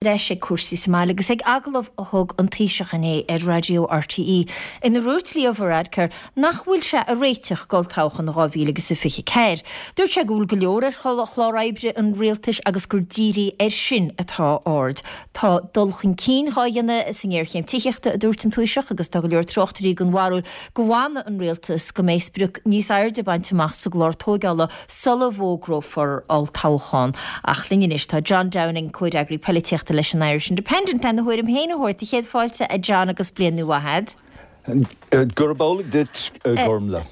Ais ag cúrsaí sa mbaile agus ag agallamh a thug an Taoiseach inné ar Raidió RTÉ ina ndúirt Leo Varadkar nach bhfuil sé ag réiteach d'olltoghchán 2024. Dúirt sé go bhfuil go leor ar chlár oibre an rialtais agus gur dírithe air sin atá a aird. Tá dul chun cinn dhá dhéanamh sa ngéarchéim tithíochta, a dúirt an Taoiseach, agus tá go leor tráchtairí den bharúil go bhfanfaidh an rialtas go mbeidh sprioc níos airde bainte amach sa gclár tóigeála sula bhfógrófar olltoghchán. Ach linn anois tá John Downing, comhfhreagraí poilitíochta leis an Irish Independent, lena thuairim féin a thabhairt. Céad fáilte, a John, agus bliain nua mhaith a'd. Gurb amhlaidh duit, a Ghormlaith.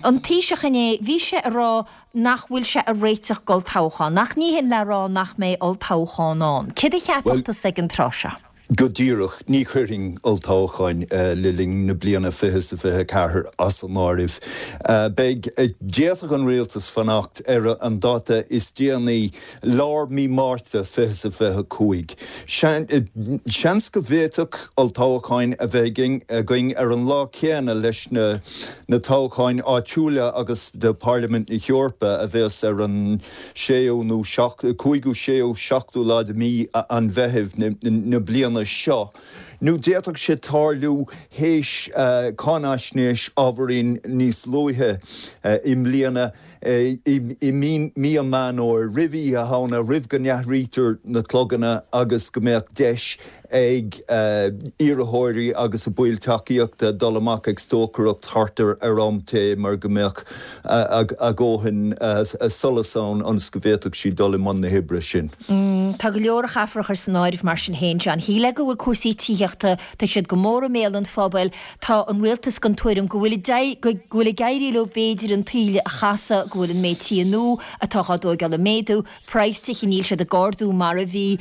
An Taoiseach inné, bhí sé a rá nach bhfuil sé ag réiteach d'olltoghchán, ach ní hin le rá nach mbeidh olltoghchán ann. Céard a cheapfadh tusa ag an tráth seo? Go díreach, ní chuirfinn olltoghcháin le linn na bliana 2024 as an áireamh. Beidh, d'fhéadfadh an rialtas fanacht ar an dáta is déanaí, lár mí Márta 2025. Seans go bhféadfadh olltoghcháin a bheith againn ar an lá céanna leis na toghcháin áitiúla agus do Pharlaimint na hEorpa a bheas ar an séú nó cúigiú, séú, seachtú lá de mhí an Mheithimh na bliana seo, nó d'fhéadfadh sé tarlú théis cáinaisnéis ábhairín níos luaithe i mbliana, i mí an Mheán Fhómhair, roimh Oíche Shamhna, roimh go n-athraítear na cloganna agus go mbeadh deis ag iarrthóirí agus a baill tacaíochta dul amach ag stocaireacht thart ar am tae mar go mbeadh a dhóthain solais ann ionas go bhféadfadh siad dul i mbun na hoibre sin. Tá go leor a chaithfear a chur san áireamh mar sin féin, John. Shílfeá go bhfuil cúrsaí tithíochta, tá siad go mór i mbéal an phobail, tá an rialtas den tuairim go bhfuil go bhfuil ag éirí leo b'fhéidir an taoille a chasadh, go bhfuil an méid tithe nua atá á dtóigeáil ag méadú, praghas tithe níl siad ag ardú mar a bhí.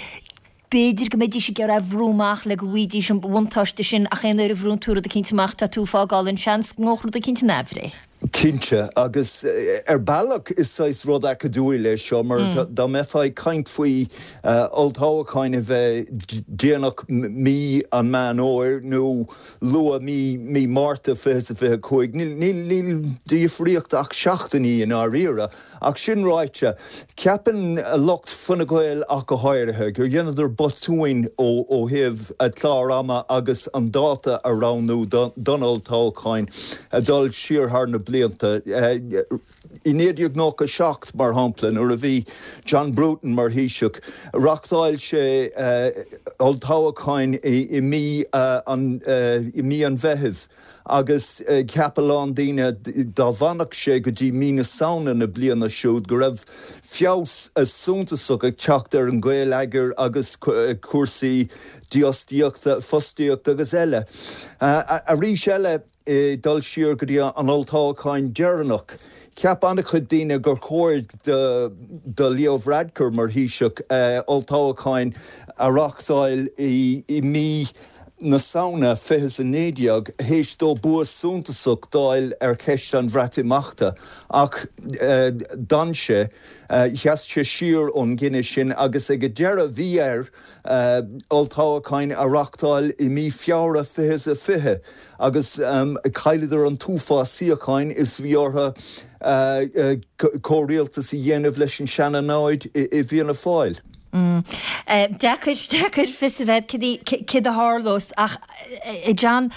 B'fhéidir go mbeidís ag iarraidh a bhrú amach le go bhfaighidís an buntáiste sin ach aon uair a bhrúnn tú rud eicínt amach tá tú ag fágáil an seans go ngabhfadh rud eicínt in aimhréidh. Cinnte, agus ar bealach is saghas rud acadúil é seo mar dá mbeifeá ag caint faoi olltoghcháin a bheith déanach mí an Meán Fhómhair nó luath mí mí Márta 2025, níl de dhifríocht ach seachtainí i ndáiríre. Ach sin ráite, ceapann lucht Fine Gael ach go háirithe, gur dheineadar botúin ó thaobh a clár ama agus an dáta a roghnú don olltoghchán, ag dul siar thar na blianta. I 1997, mar shampla, nuair a bhí John Bruton mar Thaoiseach, reáchtáil sé olltoghchán i mí an Mheithimh. Agus cheap a lán daoine dá bhfanfadh sé go dtí mí na Samhna na bliana siúd go raibh feabhas suntasach ag teacht ar an gheilleagar agus cúrsaí dífhostaíochta, fostaíochta agus eile. Arís eile, dul siar go dtí an olltoghchán deireanach, cheap an-chuid daoine gur chóir do Leo Varadkar mar Thaoiseach olltoghchán a reáchtáil i mí na Samhna 2019, théis dó bua suntasach d'fháil ar cheist an Bhreatimeachta, ach d'fhan sé, sheas sé siar ón gcinneadh sin agus ag an deireadh bhí air olltoghcháin a reáchtáil i mí Feabhra 2020 agus chailleadar an t-uafás suíocháin is bhí orthu comhrialtas a dhéanamh leis an seana-namhaid i bhFianna Fáil. Deacair, deacair fios a bheith céard a tharlós ach, a John,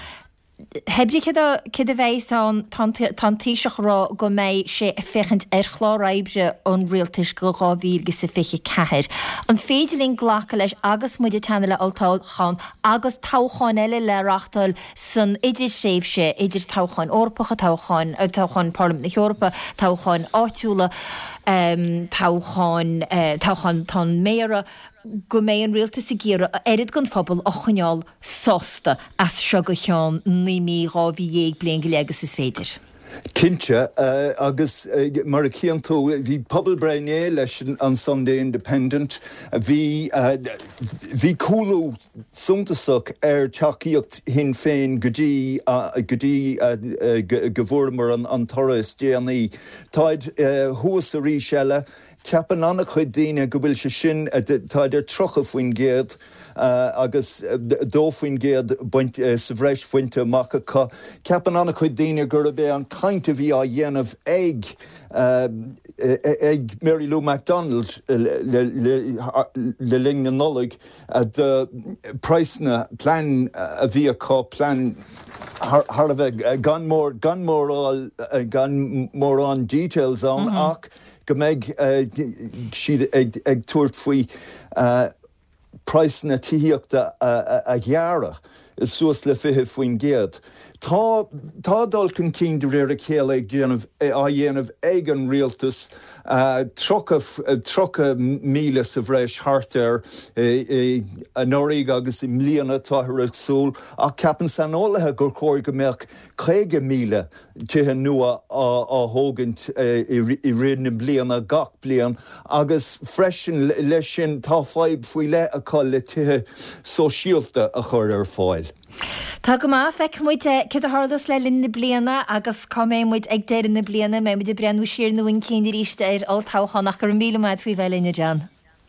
hé brí céard a, céard a bheas ann, tá an, tá an Taoiseach ag rá go mbeidh sé ag féachaint ar chlár oibre an rialtais go 2024. An féidir linn glacadh leis agus muid ag teannadh le olltoghchán agus toghcháin eile le reáchtáil san idirthréimhse idir toghcháin Eorpacha, toghcháin, toghcháin Pharlaimint na hEorpa, toghcháin áitiúla, toghcháin, toghchán an mhéara, go mbeidh an rialtas ag iarraidh a oiread den phobal a choinneáil sásta as seo go ceann 9 mí, 12 mhí, bliain go leith agus is féidir. Cinnte, agus mar a chíonn tú, bhí pobalbhreith inné leis an Sunday Independent, bhí, bhí cúlú suntasach ar tacaíocht Shinn Féin go dtí go dtí go bhfuaireamar an toradh is déanaí. Táid thuas arís eile. Ceapann an-chuid daoine go bhfuil sé sin, tá idir 30% agus 2% baint, sa bhreis bainte amach acu. Ceapann an-chuid daoine gurb é an chaint a bhí á dhéanamh ag ag Mary Lou McDonald le linn na Nollag do praghsanna, plean a bhí acu, plean thar a bheith gan mór, gan mórán, gan mórán details ann ach go mbeidh siad ag tabhairt faoi praghsanna tithíochta a ghearradh suas le 20%. Tá tá dul chun cinn de réir a chéile ag déanamh á dhéanamh ag an rialtas, 30 30,000 sa bhreis thart air anuraidh agus i mbliana táthar ag súil ach ceapann saineolaithe gur chóir go mbeadh 50,000 tithe nua á thógaint i rith na bliana gach bliain agus freisin leis sin tá fadhb faoi leith acu le tithe sóisialta a chur ar fáil. Tá go maith, feicfidh muid céard a tharlós le linn na bliana agus cá mbeidh muid ag deireadh na bliana, mbeidh muid ag breathnú siar nó chun cinn arís ar olltoghchán ach go raibh míle maith agat faoi bheith linn, a John.